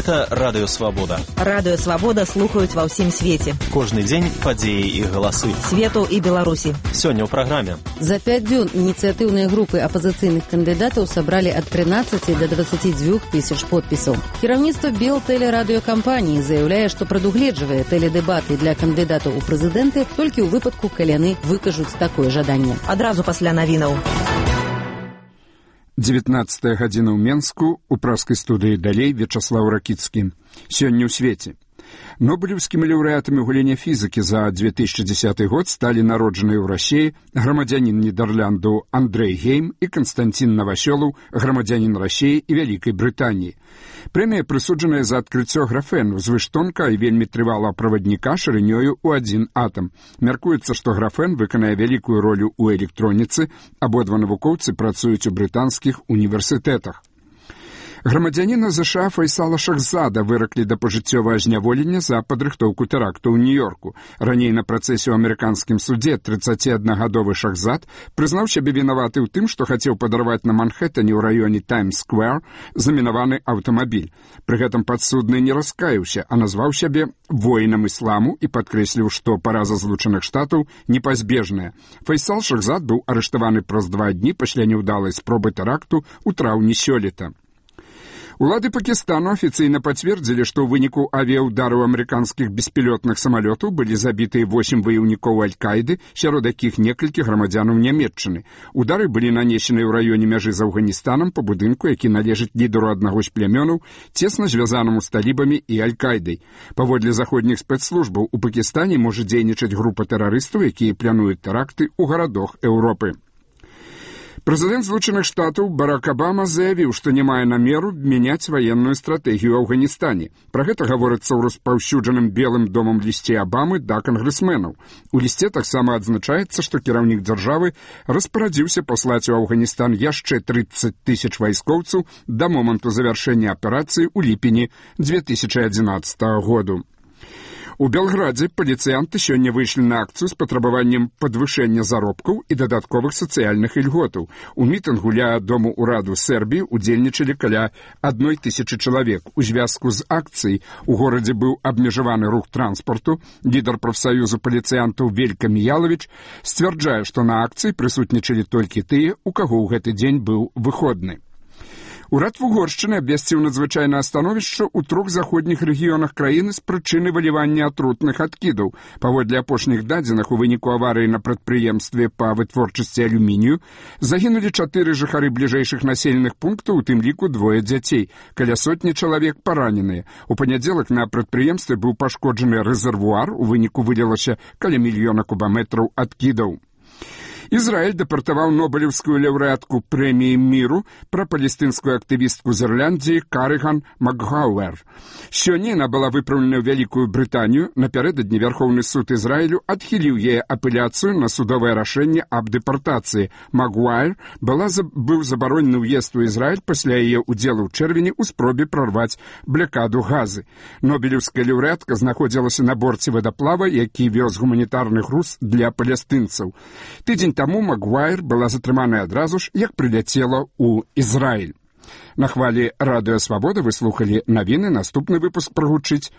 Гэта Радыё Свабода. Радыё Свабода слухаюць ва ўсім свеце. Кожны дзень падзеі і галасы. Свету і Беларусі. Сёння ў праграме. За 5 дзён ініцыятыўныя групы апазіцыйных кандыдатаў сабралі ад 13 да 22 тысяч подпісаў. Кіраўніцтва Белтэлерадыёкампаніі заяўляе, што прадугледжвае тэледэбаты для кандыдатаў у прэзідэнты толькі ў выпадку, калі яны выкажуць такое жаданне. Адразу пасля навінаў. 19 гадзіна ў Менску, у праскай студыі далей Вячаслаў Ракіцкі. Сёння ў свеце. Нобелевскімі лаўрэатамі ў галіне фізікі за 2010 год сталі народжаныя ў Расіі грамадзянін Нідерланду Андрэй Гейм і Канстантин Новасёлаў, грамадзянін Расіі і Вялікай Брытаніі. Прэмія прысуджаная за адкрыццё графену, звыштонка і вельмі трывалага правадніка шырынёю ў 1 атам. Мяркуецца, што графен выканае вялікую ролю ў электроніцы, абодва навукоўцы працуюць у брытанскіх універсітэтах. Грамадзяніна ЗША Файсала Шахзада выраклі да пажыццёвага зняволення за падрыхтоўку тэракту ў Нью-Йорку. Раней на працэсе ў амерыканскім судзе 31-гадовы Шахзад прызнаў сябе вінаваты ў тым, што хацеў падарваць на Манхэттане ў раёне Таймс-сквер замінаваны аўтамабіль. Пры гэтым падсудны не раскаяўся, а назваў сябе воінам ісламу і падкрэсліў, што параза Злучаных Штатаў непазбежная. Файсал Шахзад быў арыштаваны праз 2 дні пасля няўдалай спробы тэракту ў траўні сёлета. Улады Пакістану афіцыйна пацвердзілі, што ў выніку авіяўдараў амерыканскіх беспілётных самалётаў былі забітыя 8 ваяўнікоў Аль-Каіды, сярод якіх некалькі грамадзянаў Нямецчыны. Удары былі нанесены ў раёне мяжы з Афганістанам па будынку, які належыць лідару аднаго з плямёнаў, цесна звязанаму з талібамі і Аль-Каідай. Паводле заходніх спецслужбаў, у Пакістане можа дзейнічаць група тэрарыстаў, якія плануюць тэракты ў гарадах Еўропы. Прэзідэнт Злучаных Штатаў Барак Абама заявіў, што не мае намеру мяняць ваенную стратэгію ў Афганістане. Пра гэта гаворыцца ў распаўсюджаным Белым домам лісце Абамы да кангрэсменаў. У лісце таксама адзначаецца, што кіраўнік дзяржавы распарадзіўся паслаць у Афганістан яшчэ 30 тысяч вайскоўцаў да моманту завяршэння аперацыі ў ліпені 2011 году. У Белградзе паліцыянты сёння выйшлі на акцыю з патрабаваннем падвышэння заробкаў і дадатковых сацыяльных ільготаў. У мітынгу ля Дому ўраду Сербіі удзельнічалі каля 1000 чалавек. У звязку з акцыяй у горадзе быў абмежаваны рух транспарту. Лідар прафсаюзу паліцыянтаў Велька Міялавіч сцвярджае, што на акцыі прысутнічалі толькі тыя, у каго ў гэты дзень быў выходны. Урад Вугоршчыны абвесціў надзвычайнае становішча ў 3 заходніх рэгіёнах краіны з прычыны вылівання атрутных адкідаў. Паводле апошніх дадзеных, у выніку аварыі на прадпрыемстве па вытворчасці алюмінію загінулі 4 жыхары бліжэйшых населеных пунктаў, у тым ліку 2 дзяцей. Каля сотні чалавек параненыя. У панядзелак на прадпрыемстве быў пашкоджаны рэзервуар, у выніку вылілася каля 1 мільёна кубаметраў адкідаў. Ізраіль дэпартаваў нобелеўскую лаўрэатку прэміі міру пра палестынскую актывістку з Ірландіі Карыган Макгауэр. Сёння яна была выпраўлена ў Вялікую Брытанію. Напярэдадні Вярхоўны суд Ізраілю адхіліў яе апеляцыю на судовае рашэнне аб дэпартацыі. Макгауэр быў забаронены ўезд у Ізраіль пасля яе ўдзелу ў чэрвені ў спробе прарваць блякаду Газы. Нобелеўская лаўрэатка знаходзілася на борце вадаплава, які вёз гуманітарны груз для палестынцаў. Тыдзень таму Макгуайр была затрыманая адразу ж, як прыляцела ў Ізраіль. На хвалі Радыё Свабода вы слухалі навіны. Наступны выпуск прагучыць